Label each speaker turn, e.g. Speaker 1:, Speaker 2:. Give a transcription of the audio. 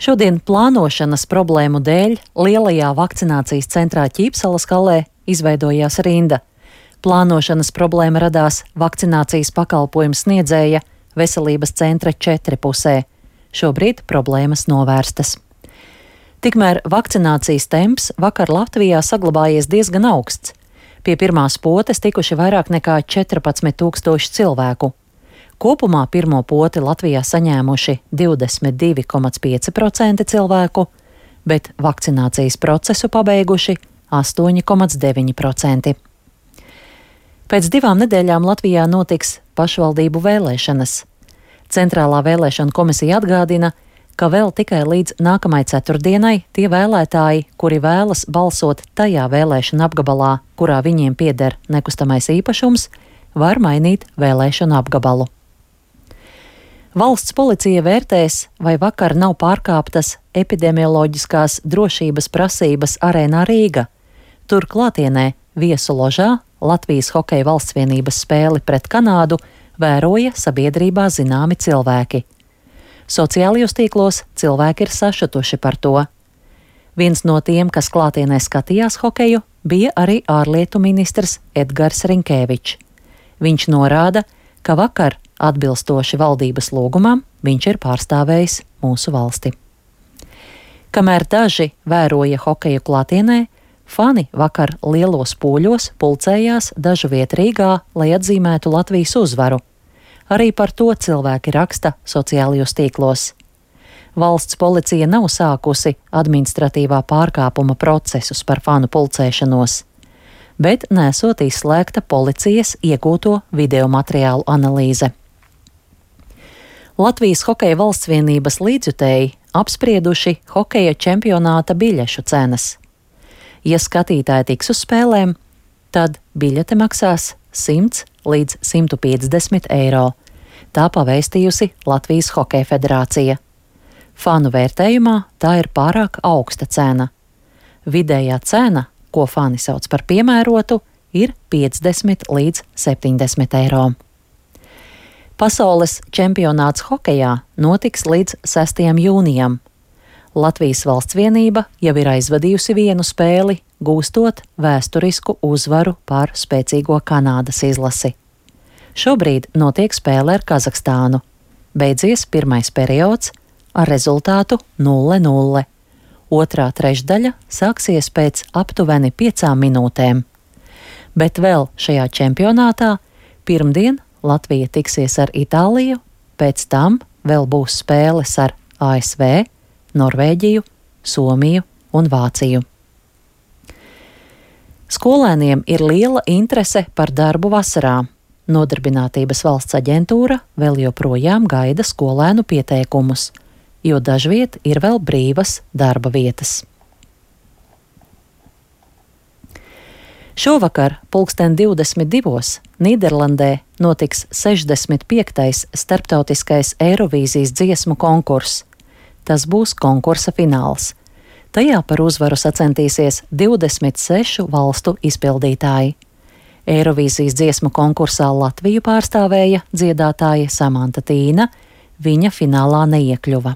Speaker 1: Šodien plānošanas problēmu dēļ lielajā vakcinācijas centrā Ķīpsalas kalē izveidojās rinda. Plānošanas problēma radās vakcinācijas pakalpojumu sniedzēja veselības centra 4 pusē. Šobrīd problēmas novērstas. Tikmēr vakcinācijas temps vakar Latvijā saglabājies diezgan augsts. Pie pirmās potes tikuši vairāk nekā 14,000 cilvēku. Kopumā pirmo poti Latvijā saņēmuši 22,5% cilvēku, bet vakcinācijas procesu pabeiguši 8,9%. Pēc 2 nedēļām Latvijā notiks pašvaldību vēlēšanas. Centrālā vēlēšana komisija atgādina, ka vēl tikai līdz nākamai ceturtdienai tie vēlētāji, kuri vēlas balsot tajā vēlēšana apgabalā, kurā viņiem pieder nekustamais īpašums, var mainīt vēlēšanu apgabalu. Valsts policija vērtēs, vai vakar nav pārkāptas epidemioloģiskās drošības prasības Arēnā Rīga. Tur klātienē viesu ložā Latvijas Hokeja valstsvienības spēli pret Kanādu vēroja sabiedrībā zināmi cilvēki. Sociālajos tīklos cilvēki ir sašutuši par to. Viens no tiem, kas klātienē skatījās hokeju, bija arī ārlietu ministrs Edgars Rinkēvičs. Viņš norāda, ka vakar, atbilstoši valdības lūgumam, viņš ir pārstāvējis mūsu valsti. Kamēr daži vēroja hokeju klātienē, fani vakar lielos pūļos pulcējās dažu vietu Rīgā, lai atzīmētu Latvijas uzvaru. Arī par to cilvēki raksta sociālajos tīklos. Valsts policija nav sākusi administratīvā pārkāpuma procesus par fanu pulcēšanos, bet nesot izslēgta policijas iegūto video materiālu analīze. Latvijas Hokeja valstsvienības līdzjutēji apsprieduši hokeja čempionāta biļešu cenas. Ja skatītāji tiks uz spēlēm, tad biļete maksās 100 līdz 150 eiro. Tā pavēstījusi Latvijas Hokeja federācija. Fanu vērtējumā tā ir pārāk augsta cena. Vidējā cena, ko fani sauc par piemērotu, ir 50 līdz 70 eiro. Pasaules čempionāts hokejā notiks līdz 6. jūnijam. Latvijas valstsvienība jau ir aizvadījusi vienu spēli, gūstot vēsturisku uzvaru pār spēcīgo Kanādas izlasi. Šobrīd notiek spēle ar Kazahstānu. Beidzies pirmais periods ar rezultātu 0-0. Otrā trešdaļa sāksies pēc aptuveni 5 minūtēm. Bet vēl šajā čempionātā pirmdien Latvija tiksies ar Itāliju, pēc tam vēl būs spēles ar ASV, Norvēģiju, Somiju un Vāciju. Skolēniem ir liela interese par darbu vasarā. Nodarbinātības valsts aģentūra vēl joprojām gaida skolēnu pieteikumus, jo dažviet ir vēl brīvas darba vietas. Šovakar 22:00 Nīderlandē notiks 65. starptautiskais Eirovīzijas dziesmu konkurss. Tas būs konkursa fināls. Tajā par uzvaru sacentīsies 26 valstu izpildītāji. Eirovīzijas dziesmu konkursā Latviju pārstāvēja dziedātāja Samanta Tīna, viņa finālā neiekļuva.